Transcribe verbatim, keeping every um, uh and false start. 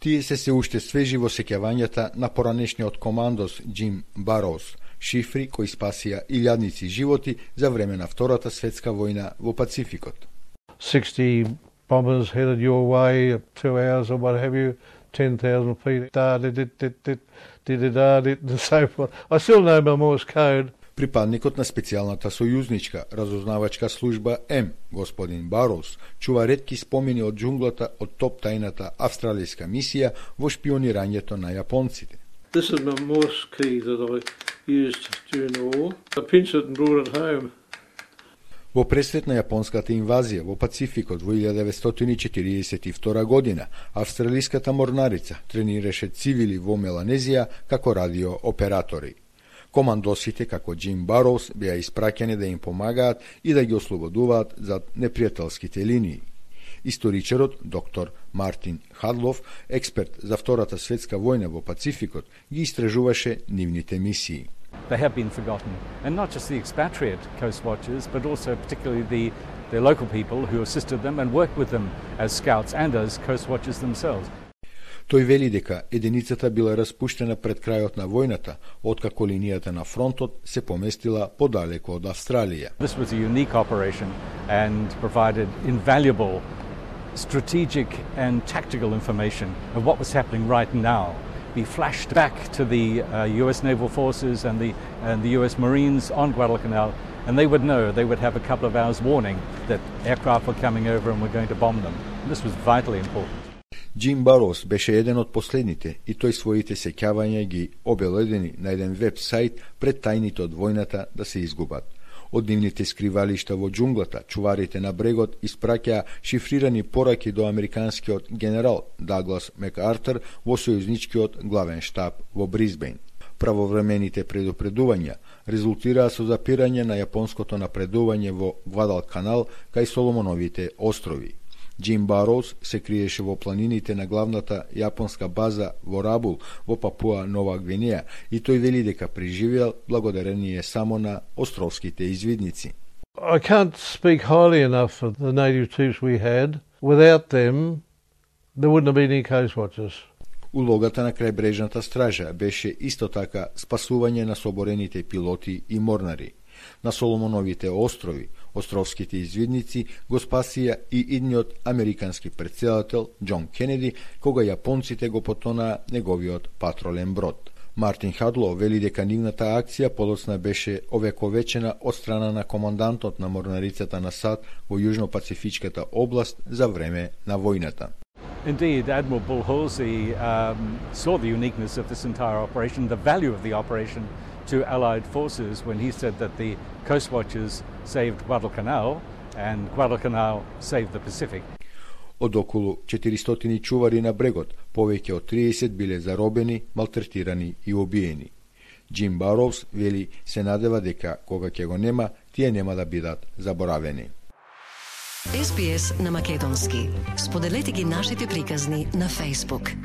Тие се се уште свежи во сеќавањата на поранешниот командос Джим Бароус, шифри кои спасија илјадници животи за време на Втората светска војна во Пацификот. sixty bombers headed your way at two hours or what have you, ten thousand feet, da, did, did, did, did, did, da, did, and so forth. I still know my Morse code. Припадникот на специјалната сојузничка разузнавачка служба М, господин Бароус, чува ретки спомени од џунглата од топ тајната австралијска мисија во шпионирањето на јапонците. This is my Morse key that I used during the war. I pinched it and brought it home. Во пресрет на јапонската инвазија во Пацификот во илјада деветстотини четиридесет и втора година, австралиската морнарица тренираше цивили во Меланезија како радиооператори. Командосите како Джим Бароус беа испраќани да им помагаат и да ги ослободуваат зад непријателските линии. Историчарот доктор Мартин Хадлов, експерт за Втората светска војна во Пацификот, ги истражуваше нивните мисии. They have been forgotten, and not just the expatriate coast watchers, but also particularly the, the local people who assisted them and worked with them as scouts and as coast watchers themselves. Тој вели дека единицата била распуштена пред крајот на војната, откако линијата на фронтот се поместила подалеку од Австралија. This was a unique operation and provided invaluable strategic and tactical information of what was happening right now. Be flashed back to the uh, U S Naval Forces and the, and the U S Marines on Guadalcanal, and they would know, they would have a couple of hours warning that aircraft were coming over and were going to bomb them. This was vitally important. Джим Бароус беше еден од последните и тој своите сеќавања ги обеледени на еден веб сајт пред тајните од војната да се изгубат. Од нивните скривалишта во џунглата, чуварите на брегот испраќаа шифрирани пораки до американскиот генерал Даглас Макартер во сојузничкиот главен штаб во Брисбејн. Правовремените предупредувања резултираа со запирање на јапонското напредување во Гвадалканал кај Соломоновите острови. Джим Бароус се криеше во планините на главната јапонска база во Рабул во Папуа Нова Гвинеја и тој вели дека преживеал благодарение само на островските извидници. I can't speak highly enough of the native troops we had. Without them, there wouldn't have been any coast watchers. Улогата на крајбрежната стража беше исто така спасување на соборените пилоти и морнари. На Соломоновите острови, островските извидници го спасија и идниот американски претседател Џон Кенеди, кога јапонците го потонаа неговиот патролен брод. Мартин Хадло вели дека нивната акција подоцна беше овековечена од страна на командантот на морнарицата на САД во Јужно-Пацифичката област за време на војната. Indeed, Admiral Bull Halsey um, saw the uniqueness of this entire operation, the value of the operation to Allied forces when he said that the coast watchers saved Guadalcanal and Guadalcanal saved the Pacific. Од околу четиристотини чувари на брегот, повеќе од триесет биле заробени, малтретирани и убиени. Джим Бароус вели се надева дека кога ќе го нема, тие нема да бидат заборавени. Ес Би Ес на македонски. Споделете ги нашите приказни на Facebook.